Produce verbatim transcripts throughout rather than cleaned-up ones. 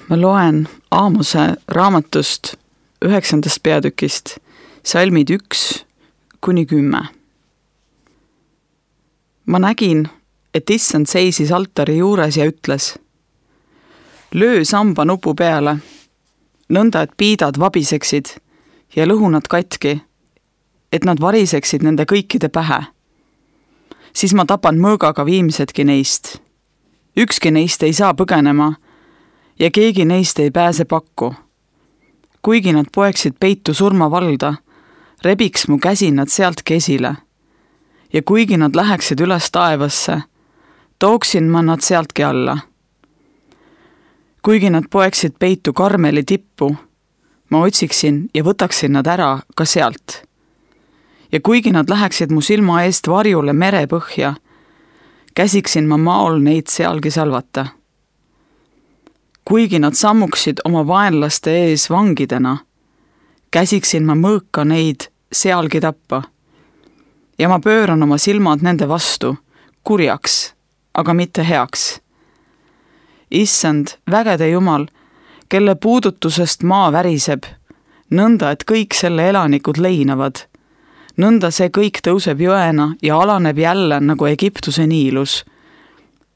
Ma loen Aamose raamatust üheksandast peatükist salmid üks kuni kümme. Ma nägin, et issand seisis altari juures ja ütles: löö samba nupu peale, nõnda et piidad vabiseksid ja lõhunad katki, et nad variseksid nende kõikide pähe. Siis ma tapan mõõgaga viimsedki neist. Ükski neist ei saa põgenema ja keegi neist ei pääse pakku. Kuigi nad poeksid peitu surmavalda, rebiks mu käsi nad sealtki esile. Ja kuigi nad läheksid üles taevasse, tooksin ma nad sealtki alla. Kuigi nad poeksid peitu Karmeli tippu, ma otsiksin ja võtaksin nad ära ka sealt. Ja kuigi nad läheksid mu silma eest varjule merepõhja, käsiksin ma maol neid sealgi salvata. Kuigi nad sammuksid oma vaenlaste ees vangidena, käsiksin ma mõõka neid sealgi tappa. Ja ma pööran oma silmad nende vastu, kurjaks, aga mitte heaks. Issand, vägede Jumal, kelle puudutusest maa väriseb, nõnda, et kõik selle elanikud leinavad. Nõnda see kõik tõuseb jõena ja alaneb jälle nagu Egiptuse niilus.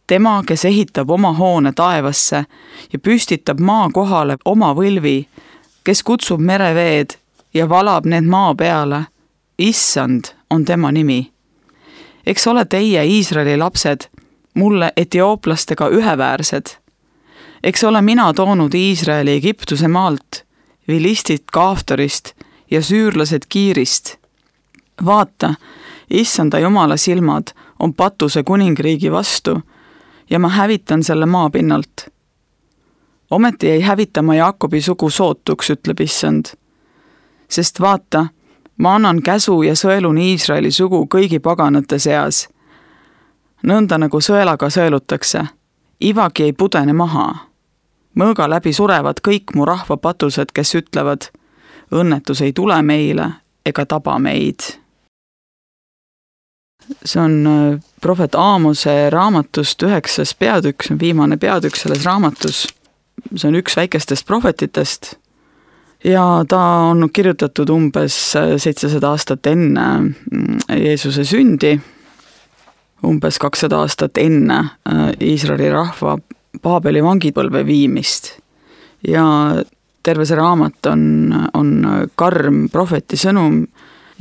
Tema, kes ehitab oma hoone taevasse ja püstitab maa kohale oma võlvi, kes kutsub mereveed ja valab need maa peale, issand on tema nimi. Eks ole teie, Iisraeli lapsed, mulle etiooplastega üheväärsed. Eks ole mina toonud Iisraeli Egiptuse maalt, vilistid Kaaftorist ja süürlased Kiirist. Vaata, issanda Jumala silmad on Patuse kuningriigi vastu ja ma hävitan selle maa pinnalt. Ometi ei hävita ma Jaakobi sugu sootuks, ütleb issand. Sest vaata, ma annan käsu ja sõelun Iisraeli sugu kõigi paganate seas. Nõnda nagu sõelaga sõelutakse, ivagi ei pudene maha. Mõõga läbi surevad kõik mu rahva patused, kes ütlevad, õnnetus ei tule meile ega taba meid. See on prohvet Aamose raamatust üheksas peatükk, see on viimane peatükk selles raamatus. See on üks väikestest prohvetitest ja ta on kirjutatud umbes seitsesada aastat enne Jeesuse sündi, umbes kakssada aastat enne Iisraeli rahva Paabeli vangipõlve viimist. Ja terve see raamat on, on karm prohveti sõnum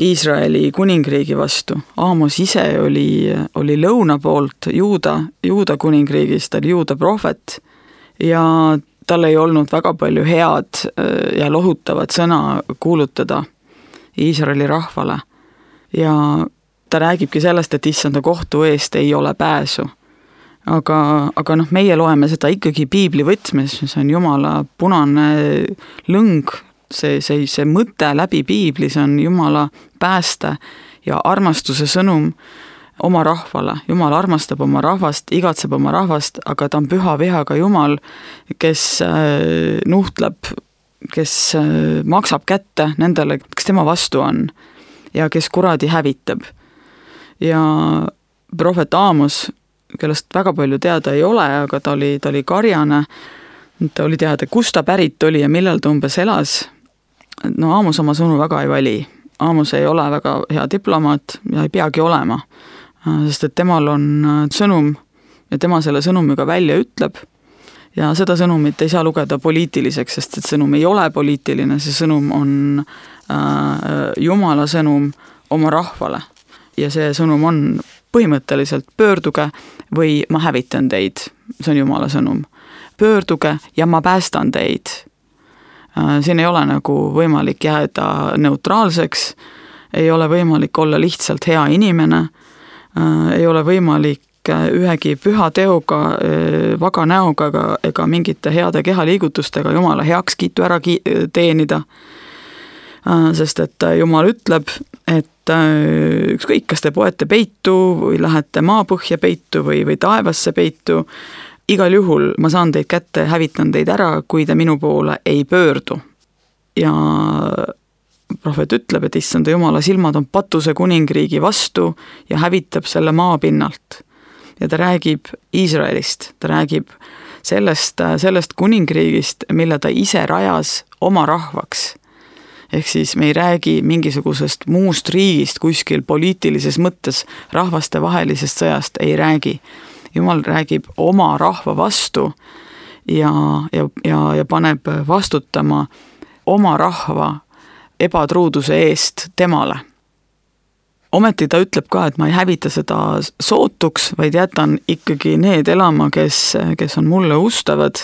Iisraeli kuningriigi vastu. Aamos ise oli, oli lõuna poolt Juuda, Juuda kuningriigist, ta oli Juuda prohvet ja tal ei olnud väga palju head ja lohutavat sõna kuulutada Iisraeli rahvale. Ja ta räägibki sellest, et issanda kohtu eest ei ole pääsu. Aga, aga noh, meie loeme seda ikkagi piibli võtmes, see on Jumala punane lõng, see, see, see mõte läbi piibli, see on Jumala pääste ja armastuse sõnum oma rahvale. Jumal armastab oma rahvast, igatseb oma rahvast, aga ta on püha vihaga Jumal, kes äh, nuhtleb, kes äh, maksab kätte nendele, kes tema vastu on ja kes kuradi hävitab. Ja prohvet Aamos, kellest väga palju teada ei ole, aga ta oli, ta oli karjane, ta oli teada, kust ta pärit oli ja millal ta umbes elas. No Aamos oma sõnu väga ei vali. Aamos ei ole väga hea diplomaat ja ei peagi olema, sest et temal on sõnum ja tema selle sõnumiga välja ütleb ja seda sõnumit ei saa lugeda poliitiliseks, sest et sõnum ei ole poliitiline, see sõnum on äh, Jumala sõnum oma rahvale ja see sõnum on põhimõtteliselt pöörduge või ma hävitan teid, see on Jumala sõnum. Pöörduge ja ma päästan teid. Siin ei ole nagu võimalik jääda neutraalseks, ei ole võimalik olla lihtsalt hea inimene, ei ole võimalik ühegi püha teoga, vaga näoga ega, ega mingite heade kehaliigutustega Jumala heakskiitu ära teenida. Sest et Jumal ütleb, et ükskõik, kas te poete peitu või lähete maapõhja peitu või, või taevasse peitu, igal juhul ma saan teid kätte, hävitan teid ära, kui te minu poole ei pöördu. Ja prohvet ütleb, et issanda Jumala silmad on Patuse kuningriigi vastu ja hävitab selle maa pinnalt. Ja ta räägib Iisraelist, ta räägib sellest, sellest kuningriigist, mille ta ise rajas oma rahvaks. Ehk siis me ei räägi mingisugusest muust riigist kuskil poliitilises mõttes rahvastevahelisest sõjast, ei räägi. Jumal räägib oma rahva vastu ja, ja, ja, ja paneb vastutama oma rahva ebatruuduse eest temale. Ometi ta ütleb ka, et ma ei hävita seda sootuks, vaid jätan ikkagi need elama, kes, kes on mulle ustavad.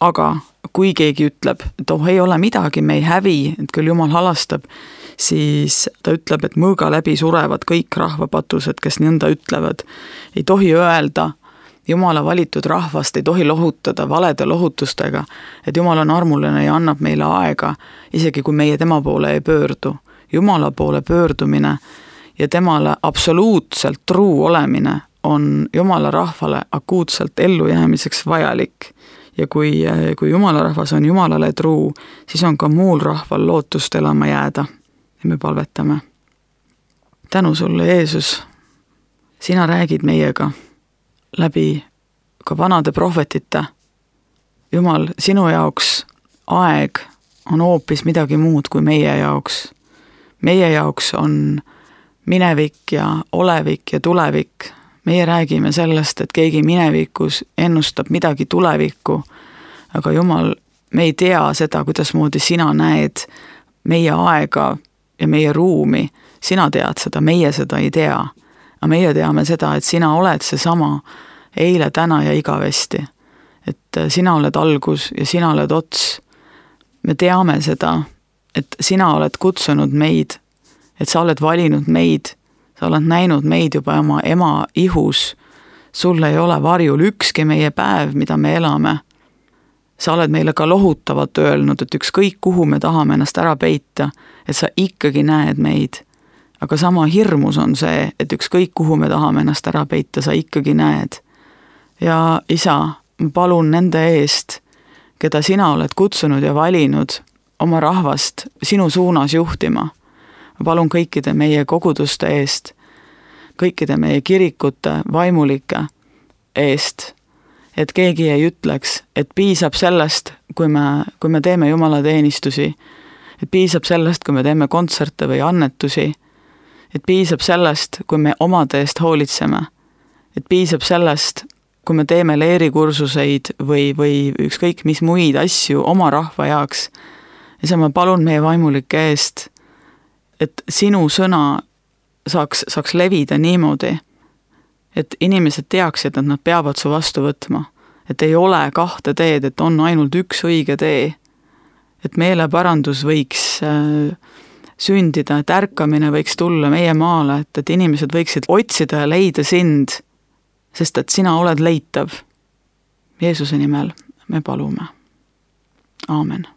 Aga kui keegi ütleb, et oh, ei ole midagi, me ei hävi, et küll Jumal halastab, siis ta ütleb, et mõõga läbi surevad kõik rahvapatused, kes nõnda ütlevad. Ei tohi öelda, Jumala valitud rahvast ei tohi lohutada valede lohutustega, et Jumal on armuline ja annab meile aega, isegi kui meie tema poole ei pöördu. Jumala poole pöördumine ja temale absoluutselt truu olemine on Jumala rahvale akuutselt ellujäämiseks vajalik. Ja kui, kui Jumala rahvas on Jumalale truu, siis on ka muul rahval lootust elama jääda. Ja me palvetame. Tänu sulle, Jeesus, sina räägid meiega läbi ka vanade prohvetite. Jumal, sinu jaoks aeg on hoopis midagi muud kui meie jaoks. Meie jaoks on minevik ja olevik ja tulevik. Meie räägime sellest, et keegi minevikus ennustab midagi tulevikku, aga Jumal, me ei tea seda, kuidas moodi sina näed meie aega ja meie ruumi. Sina tead seda, meie seda ei tea. Aga meie teame seda, et sina oled seesama eile, täna ja igavesti. Et sina oled algus ja sina oled ots. Me teame seda, et sina oled kutsunud meid, et sa oled valinud meid, sa oled näinud meid juba oma ema ihus, sul ei ole varjul ükski meie päev, mida me elame. Sa oled meile ka lohutavalt öelnud, et ükskõik kuhu me tahame ennast ära peita, et sa ikkagi näed meid. Aga sama hirmus on see, et ükskõik kuhu me tahame ennast ära peita, sa ikkagi näed. Ja isa, ma palun nende eest, keda sina oled kutsunud ja valinud oma rahvast sinu suunas juhtima. Ma palun kõikide meie koguduste eest, kõikide meie kirikute vaimulike eest, et keegi ei ütleks, et piisab sellest, kui me, kui me teeme Jumala teenistusi, et piisab sellest, kui me teeme kontserte või annetusi, et piisab sellest, kui me omade eest hoolitseme, et piisab sellest, kui me teeme leerikursuseid või, või ükskõik mis muid asju oma rahva jaoks. Ja sa ma palun meie vaimulike eest, et sinu sõna saaks, saaks levida niimoodi, et inimesed teaksid, et nad peavad su vastu võtma. Et ei ole kahte teed, et on ainult üks õige tee. Et meeleparandus võiks äh, sündida, et ärkamine võiks tulla meie maale, et, et inimesed võiksid otsida ja leida sind, sest et sina oled leitav. Jeesuse nimel me palume. Aamen.